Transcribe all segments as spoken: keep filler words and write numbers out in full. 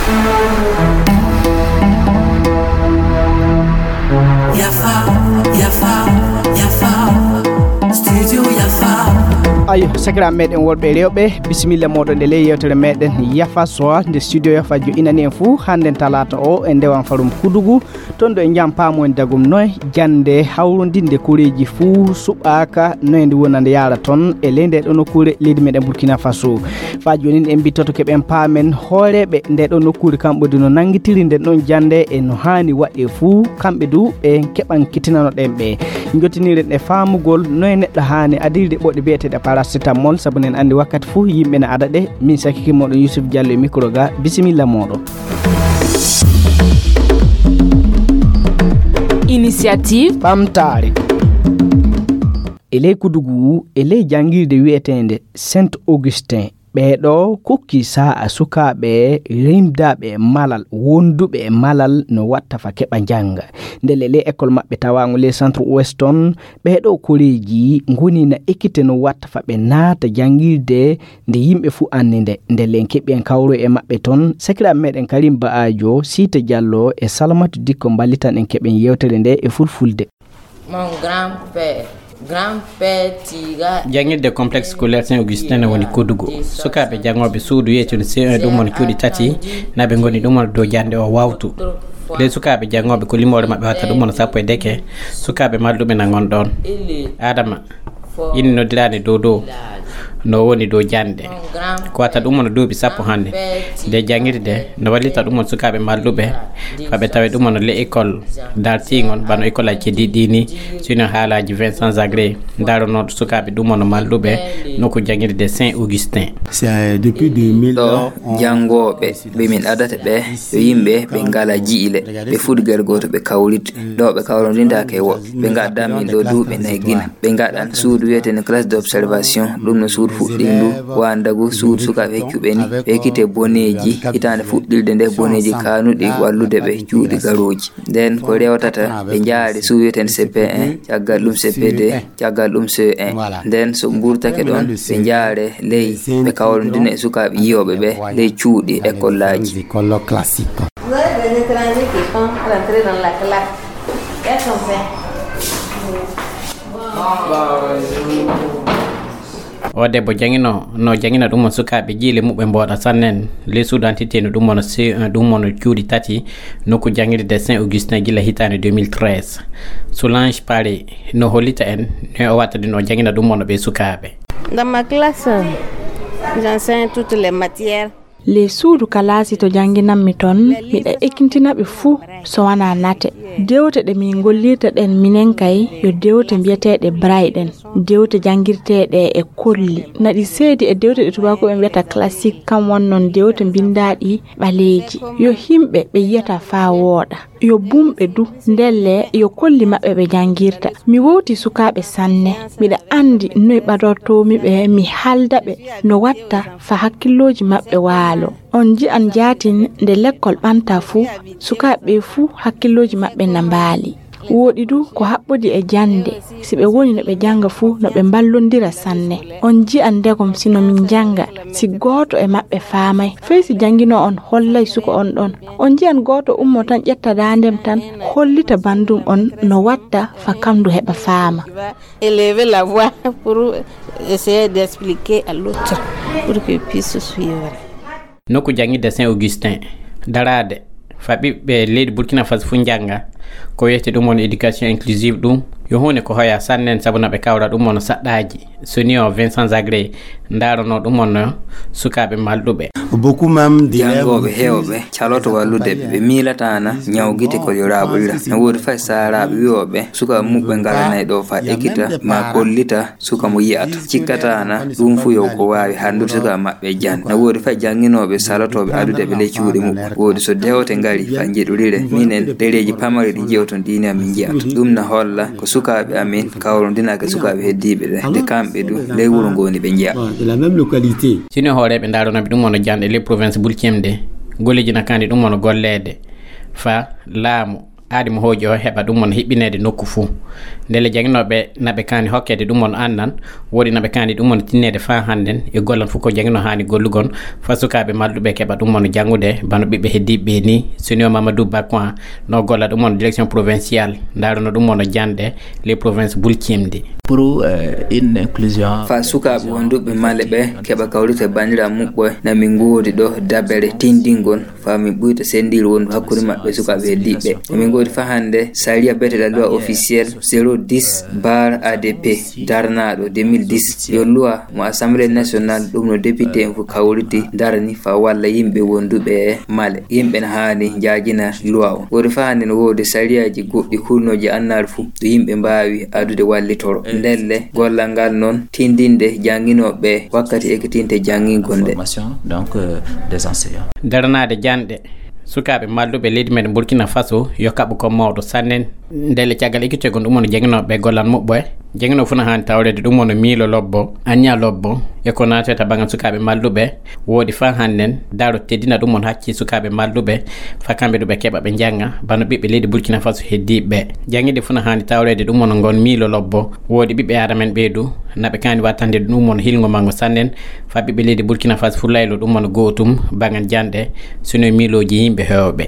Yafa, yafa, yafa. Studio yafa. Ayo, sakiraaɓe meɗen worɓe e rewɓe, bisimilla moɗon e ley yewtere meɗen Yafa Sowa, nde studio Yafa joɗɗinani en fuu hannden talaata o e ndewan farum Kudugu. Toon ɗo e jam paamu en dagum noy jannde hawrondinde koreeji fuu suɓaaka, noy nde wona nde yaara toon e ley nde ɗo nokkuure leydi meɗen Burkina Faso. Faa jooni en mbittoto keɓen paamen hooreeɓe nde ɗo nokkuure kamɓe du no nanngitiri nden ɗon jannde e no haani waɗe fuu, kamɓe du ɓe keɓan kitinano ɗen ɓe. Jottiniren e faamugol noy neɗɗo haani adirde ɓoɗe biyeteeɗe paracetamol, sabu nen anndi wakkati fuu yimɓe na ada ɗe. Min sakike moɗon Yusuf Diallo e micro ga, bisimilla moɗon. Initiative. Ɓamtaare. E ley Kudugu, e ley janngirde wi'eteende Saint Augustin, ɓeeɗo kokki saa'a sukaaɓe rimdaaɓe e malal, wonduɓe e malal no watta fa keɓa njannga. Ndelle ley école maɓɓe tawaango ley centre ouest on, ɓeeɗo koreeji ngoni na ekkite no watta fa ɓe naata janngirde nde yimɓe fuu anndi nde. Ndelle en keɓi en kawroy e maɓɓe toon. Sakiraaɓe meɗen Karim Ba'ajo, Siita Diallo e Salamatu Dikko mballitan en keɓen yewtere nde e fulfulde. Mon grand-père, grand-père Tiga. Janngirde complexe scolaire Saint Augustin no woni Kodugo. Sukaaɓe janngooɓe suudu wiyeteeɗo C un ɗum woni cuuɗi tati, na ɓe ngoni ɗum woni dow jannde o wawtu. Ley sukaaɓe janngooɓe ko limoore maɓɓe watta ɗum woni sappo e deke, sukaaɓe malluɓe na ngon ɗoon. Adama, ina noddiraani dow dow no woni dow jannde. Ko wata ɗum woni duuɓi sappo hannde. Nde janngirde no wallita ɗum woni sukaaɓe malluɓe, fa ɓe tawe ɗum woni le école dartiingon, bano école aji keddiiɗi ɗi ni, sino haalaaji Vincent Zagré, ndaronooɗo sukaaɓe ɗum woni malluɓe nokku janngirde Saint Augustin. C'est, euh, depuis deux mille, ɗo on- janngooɓe ɓe min adata ɓe, yo yimɓe ɓe ngala jiile, ɓe fuɗi ger gooto ɓe kawriti. Ɗo ɓe kawrondintaake e woɓɓe. Ɓe ngaddan min ɗo duuɓi nayi gila. Ɓe ngaɗan suudu wiyeteeɗo classe d'observation, ɗum no suudu fuɗɗindu, waandagu suudu sukaaɓe heccuɓe ni, ɓe ekkite boneeji, hitaande fuɗɗirde nde boneeji kaanuɗi wallude ɓe cuuɗi garooji. Nden ko rewtata, ɓe njaari suudu wiyeteeɗo C P un, caggal ɗum C P deux, caggal ɗum C un. Nden so ɓurtake ɗon, ɓe njaare ley, ɓe kawrondina e sukaaɓe yiyooɓe ɓe ley cuuɗi écoleaji. Vous avez des étrangers qui sont rentrés dans la classe. Qu'est-ce qu'on fait? O debbo jangino, no jangina ɗum on sukaaɓe jiile muɓɓe mbooɗa sannen. Ley suudu entité no ɗum on C un, ɗum on cuuɗi tati, nokku jangirde Saint Augustin gila hitaande deux mille treize. Solange Paris no hollita en, no o watta ɗum o jangina ɗum on ɓe sukaaɓe. Dans ma classe, j'enseigne toutes les matières. Ley suudu kalaasi to jannginanmi toon, miɗa ekkintina ɓe fuu so wanaa nate. Dewte ɗe min ngollirta ɗen minen kay, yo dewte mbiyeteeɗe braille ɗen. Dewte janngirteeɗe e kolli. Naɗi seedi e dewte ɗe tubaakooɓe mbiyata classique, kam won noon dewte mbinndaaɗi ɓaleeji. Yo himɓe ɓe yiyata faa wooɗa. Yo bumɓe du, ndelle yo kolli maɓɓe ɓe janngirta. Mi wowti sukaaɓe sanne. Miɗa anndi noy ɓadortoomi ɓe, mi haalda ɓe no watta fa hakkillooji maɓɓe waalo. On nji'an jaatin nde lekkol ɓanta fuu, sukaaɓe ɓe fuu hakkillooji maɓɓe na mbaali. Wooɗi du ko haɓɓodi e jannde, si ɓe woni no ɓe jannga fuu no ɓe mballondira sanne. On nji'an ndegom si no min njannga, si gooto e maɓɓe faamay, fey si jannginoo on hollay suka on ɗon. On nji'an gooto ummo tan ƴetta daandem tan, hollita banndum on no watta fa kamndu heɓa faama. Élever la voix pour essayer d'expliquer à l'autre pour qu'il puisse suivre. Nokku janngirde Saint Augustin daraade fa ɓiɓɓe leydi Burkina Faso fuu njannga, ko wiyete ɗum woni éducation inclusive, ɗum yo huunde ko hoya sannen, sabu na ɓe kawra ɗum woni saɗɗaaji. So ni o Vincent Zagré ndarono ɗum woni sukaaɓe malɗuɓe. Beaucoup même d'élèves jangooɓe heewɓe caloto wallude ɓe, ɓe miilataana ñawgite ko yo raaɓolira. No woodi fay saaraaɓe wi'ooɓe sukaaɓe muɓɓe ngalanay ɗo fa ekkita ma kollita suka mo yi'ata. Cikkataana ɗum fuu yo ko waawi hanndude suka maɓɓe jan. No woodi fay jannginooɓe salotooɓe adude ɓe ley cuuɗi muɓɓen. Woodi so dewte ngari fa njeɗurire, minen ɗereeji pamari ɗi jewton ɗiini amin njiyata. Ɗum na holla ko sukaaɓe amin kawrondinaaka e sukaaɓe heddiiɓe ɓe. Nde kamɓe du ley wuro ngoni ɓe njiya. Bon, de la même localité. Sino hooreeɓe ndaronoɓe ɗum woni jannde ley province Bulcem de, golleeji na kandi ɗum woni golleede fa laamu. Aadi mo hooƴi o heɓa ɗum on hiɓɓineede nokku fuu. Ndelle jaŋinooɓe naɓe kaani hokkeede ɗum on annan, woodi naɓe kaani ɗum on tinneede faa hannden e gollan fuu ko jaŋinoo haani gollugon, faa sukaaɓe malɗuɓe keɓa ɗum on janngude, bano ɓiɓɓe heddiiɓe ɓe ni. Senior Mamadou Bakwan no golla ɗum on direction provinciale, ndaarano ɗum on jannde les provinces bulcimde. Pour euh, une inclusion. Faa sukaaɓe wonduɓe male ɓe keɓa kawrite banndiraaɓe muɓɓe, na min ngoodi ɗo dabere tindingol faa min ɓuyta sendiiru wondu hakkunde maɓɓe sukaaɓe heddiiɓe. Emin ngoodi faa hannde sariya beteɗa loi officiel zéro dix bar A D P darnaaɗo deux mille dix. Yo loi mo Assemblée nationale ɗum no député en fof kawriti darani faa walla yimɓe wonduɓe e male. Yimɓe na haani njaajina loi on. Woodi faa hannde no woodi sariyaaji goɗɗi kulnooji annaari fof ɗo yimɓe mbaawi adude wallitoro. Ndelle gollal ngal noon tindinde jannginooɓe wakkati ekkitinte janngingol nde. Formation, donc, euh, des enseignants. Daranaade janɗe sukaaɓe malluɓe leydi men Burkina Faso yo kaɓu ko mawɗo sannen. Ndelle caggal ekkitegol ɗum on jannginooɓe gollal muɓɓe, jannginoo fuu na haani tawreede ɗum on miilo lobbo, anniya lobbo, e ko naatata banngal sukaaɓe malluɓe. Woodi faa hannden daro teddina ɗum on hakkii sukaaɓe malluɓe, faa kamɓe du ɓe keɓa ɓe njannga, bano ɓiɓɓe leydi Burkina Faso heddiiɓe. Jannginde fuu na haani tawreede ɗum on ngon miilo lobbo. Woodi ɓiɓɓe aadama en ɓee du, naɓe kaani wattande ɗum on hilngo manngo sannen, faa ɓiɓɓe leydi Burkina Faso fuu laylo ɗum on gootum, banngal janɗe, sino miilooji yimɓe heewɓe.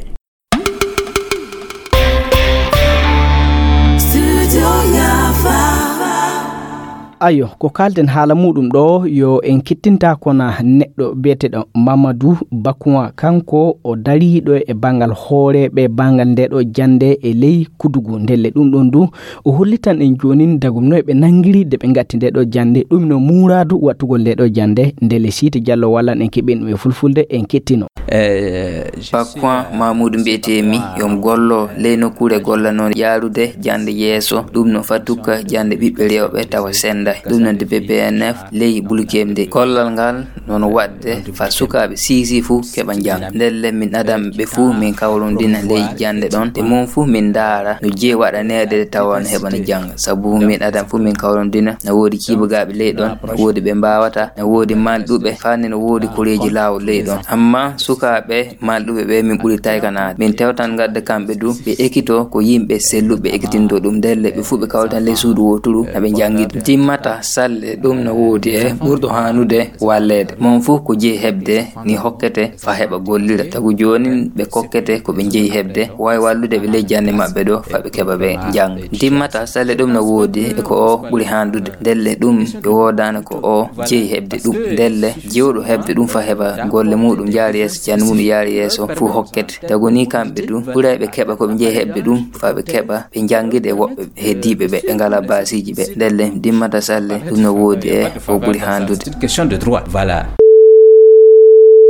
Ayo, ko kaalten haala muuɗum ɗo, yo en kettinta kono neɗɗo biyeteeɗo Mamadou Bakouan, kanko o dariiɗo e banngal hooreeɓe banngal nde ɗo jannde e ley Kudugu. Ndelle ɗum ɗon du, o hollitan en joonin dagum no ɓe nanngiri de ɓe ngatti nde ɗo jannde, ɗum no muuraadu wattugol nde ɗo jannde. Ndelle Siiti Jallo wallan en keɓin ɗum e fulfulde, en kettino. Eh, je suis Bakouan Mamoudou mbiyetee mi, yo mi gollo ley nokkuure golla noon yaarude jannde yeeso, ɗum no fatuka jannde ɓiɓɓe rewɓe tawa sennda, ɗum no D P P N F ley Bulkemde. Gollal ngal noon waɗde faa sukaaɓe siisi fuu keɓa njannga. Ndelle min adan ɓe fuu min kawrondina ley jannde ɗon, e mum fuu min ndaara no jeyi waɗaneede tawa no heɓa no jannga. Sabu min adan fuu min kawrondina, no woodi ciibagaaɓe ley ɗon, no woodi ɓe mbaawata, no woodi malɗuɓe, faa ne no woodi koreeji laawol ley ɗon. Ammaa sukaaɓe malɗuɓe ɓe min ɓuri taykanaade. Min tewtan ngadda kamɓe du, ɓe ekkito ko yimɓe selluɓe ekkitinto ɗum. Ndelle ɓe fuu ɓe kawritan ley suudu wooturu, na ɓe njanngida. Timmata salle ɗum no woodi e ɓurɗo haanude walleede. Mon fuu ko jeyi heɓde ni hokkete faa heɓa gollira. Tagu joonin ɓe kokkete ko ɓe jeyi heɓde, waawi wallude ɓe ley jannde maɓɓe ɗo faa ɓe keɓa ɓe njannga. Timmata salle ɗum no woodi e ko o ɓuri haandude. Ndelle ɗum ɓe woodaani ko o jeyi heɓde ɗum. Ndelle jewɗo heɓde ɗum faa heɓa golle muuɗum njaari yeeso, jannde muuɗum yaari yeeso fuu hokkete. Tagu ni kamɓe du ɓuray ɓe keɓa ko ɓe jeyi heɓde ɗum faa ɓe keɓa ɓe njanngida e woɓɓe heddiiɓe ɓe, ɓe ngalaa baasiiji ɓe. Ndelle timmata salle ɗum no woodi e o ɓuri haandude. C'est une question de droit. Voilà.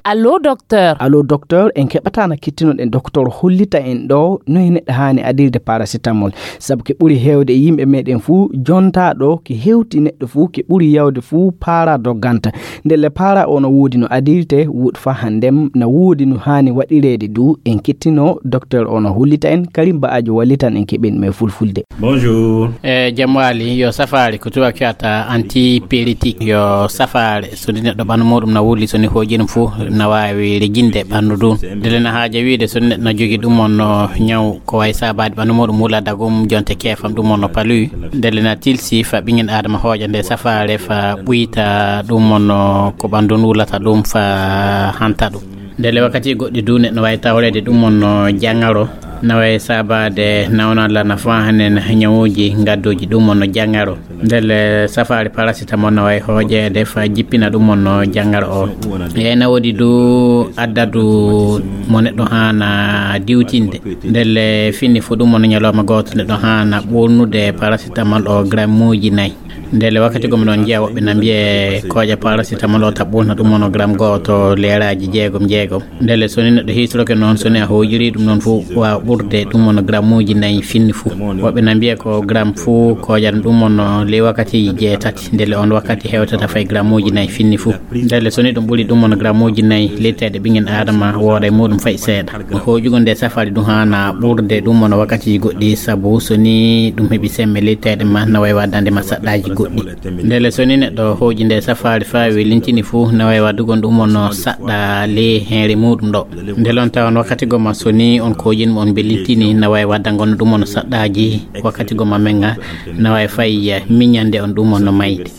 Allo, docteur. Allo, docteur, en keɓataa na kettinoɗen docteur hollita en ɗo no e neɗɗo haani adirde paracetamol. Sabu ke ɓuri heewde e yimɓe meɗen fuu jontaa ɗo ke hewti neɗɗo fuu ke ɓuri yawde fuu paara dogganta. Ndelle paara o no woodi no adirte, woodi faa hanndem na woodi no haani waɗireede du. En kettino docteur o no hollita en, Karim Ba'ajo wallitan en keɓen me fulfulde. Bonjour. E jam waali, yo safaare ko tubaak fiyata antipyrétique, yo safaare so ni neɗɗo ɓanndu muuɗum na wulli, so ni hooƴi ɗum fuu na waawi rejinde ɓanndu ndu. Ndelle na haaja wiide so ni neɗɗo na jogii ɗum on no ñaw ko wayi saabaade ɓanndu muuɗum wula dagum jonte keefam ɗum on no paluwi. Ndelle na tilsi faa ɓinngel aadama hooƴa nde safaare faa ɓuyta ɗum on no ko ɓanndu ndun wulata ɗum faa hanta ɗum. Ndelle wakkati goɗɗi du neɗɗo waawi tawreede ɗum on no jaŋŋaro, na waawi saabaade nawnalla na faa hanen ñawuuji ngadduuji ɗum on no jaŋŋaro. Ndelle safaari paracetamol na waawi hooƴeede faa jippina ɗum on no jaŋŋaro o. E na woodi du addadu mo neɗɗo haana diwtinde. Ndelle fini fuu ɗum on ñalawma gooto neɗɗo haana ɓurnude paracetamol o grammuuji nayi. Ndelle wakkati gom ɗon njiya woɓɓe na mbiye kooƴa paracetamol o ta ɓurna ɗum on no gram gooto leeraaji jeegom jeegom. Ndelle so ni neɗɗo hiisoroke noon, so ni a hooƴiri ɗum noon fof waawa ɓurde ɗum on no grammuuji nayi finni fof. Woɓɓe na mbiya ko gram fof kooƴan ɗum on no ley wakkatiiji jeetati. Ndelle on wakkati hewtata fay grammuuji nayi finni fof. Ndelle so ni ɗum ɓuri ɗum on no grammuuji nayi, leyteeɗe ɓinngel aadama wooda e muuɗum fay seeɗa. No hooƴugol nde safari ɗum haana ɓurde ɗum on no wakkatiiji goɗɗi, sabu so ni ɗum heɓi semme leyteeɗe ma na wayi waddande ma saɗɗaaji. Goɗɗi. Ndele so ni neɗɗo hooƴi nde safaari faa welintini fuu, na waawi waɗugol ɗum on saɗɗa ley heenre muuɗum ɗo. Ndele on tawa on wakkati goma so ni on kooƴin mo on belintini, na waawi waɗdangol ɗum on saɗɗaaji wakkati goma men ga, na waawi fay miñande on ɗum on no mayde.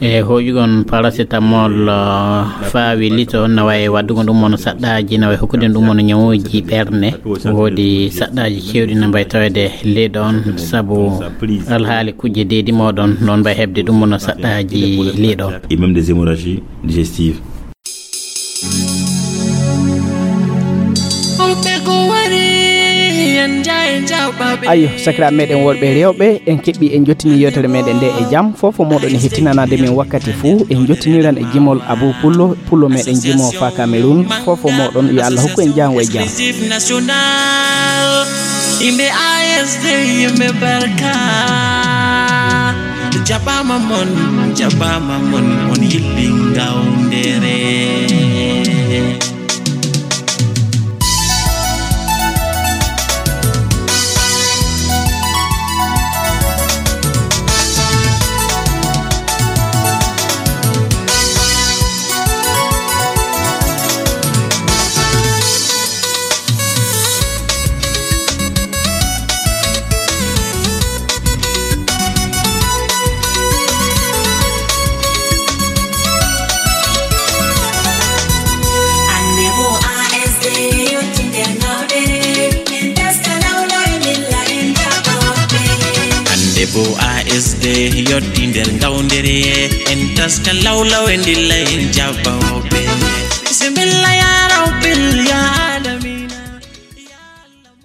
E hooƴugol paracetamol, uh, faa welito, na waawi waɗugol ɗum on saɗɗaaji, na waawi hokkude ɗum on ñawuuji ɓerne. Woodi saɗɗaaji keewɗi na mbaawi taweede ley ɗon, sabu alhaali kujje deedi mooɗon, noon mbay heɓde ɗum no saɗɗaaji liiɗo. Et même des hémorragies digestives. Ayo, sakiraaɓe meɗen worɓe e rewɓe, en keɓɓi en jottini yewtere meɗen nde e jam. Fof o moɗon e hettinanaade min wakkati fuu, en jottiniran e jimol Abou Pullo, Pullo meɗen jimo faa Cameroun. Fof o moɗon, yo Allah hokku en jaango e jam. Yimɓe A S D, yimɓe barka. Jaɓaama mon, jaɓaama mon, on yilli ngawndere. Hannde bo A S D yotti nder ngawndere, en taska lawlaw e ndilla en jaɓɓa hoɓɓe. Bismillah ya Rabbil ya